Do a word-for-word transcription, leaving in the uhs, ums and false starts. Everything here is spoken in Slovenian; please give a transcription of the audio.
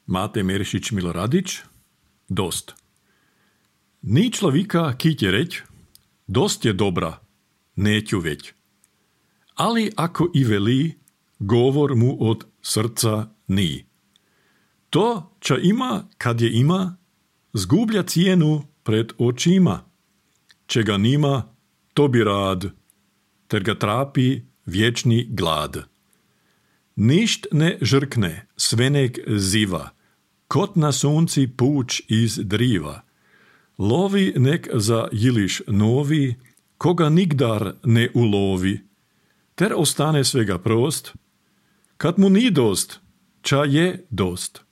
Mate Merišić Miloradić, dost. Ni človika kite reč, dost je dobra, neću već. Ali ako i veli, govor mu od srca ni. To, čo ima, kad je ima, zgublja cijenu pred očima. Čega nima, to bi rad, ter ga trapi vječni glad. Ništ ne žrkne, svenek ziva, kot na sunci puč iz driva. Lovi nek za jiliš novi, koga nigdar ne ulovi, ter ostane svega prost, kad mu ni dost, ča je dost.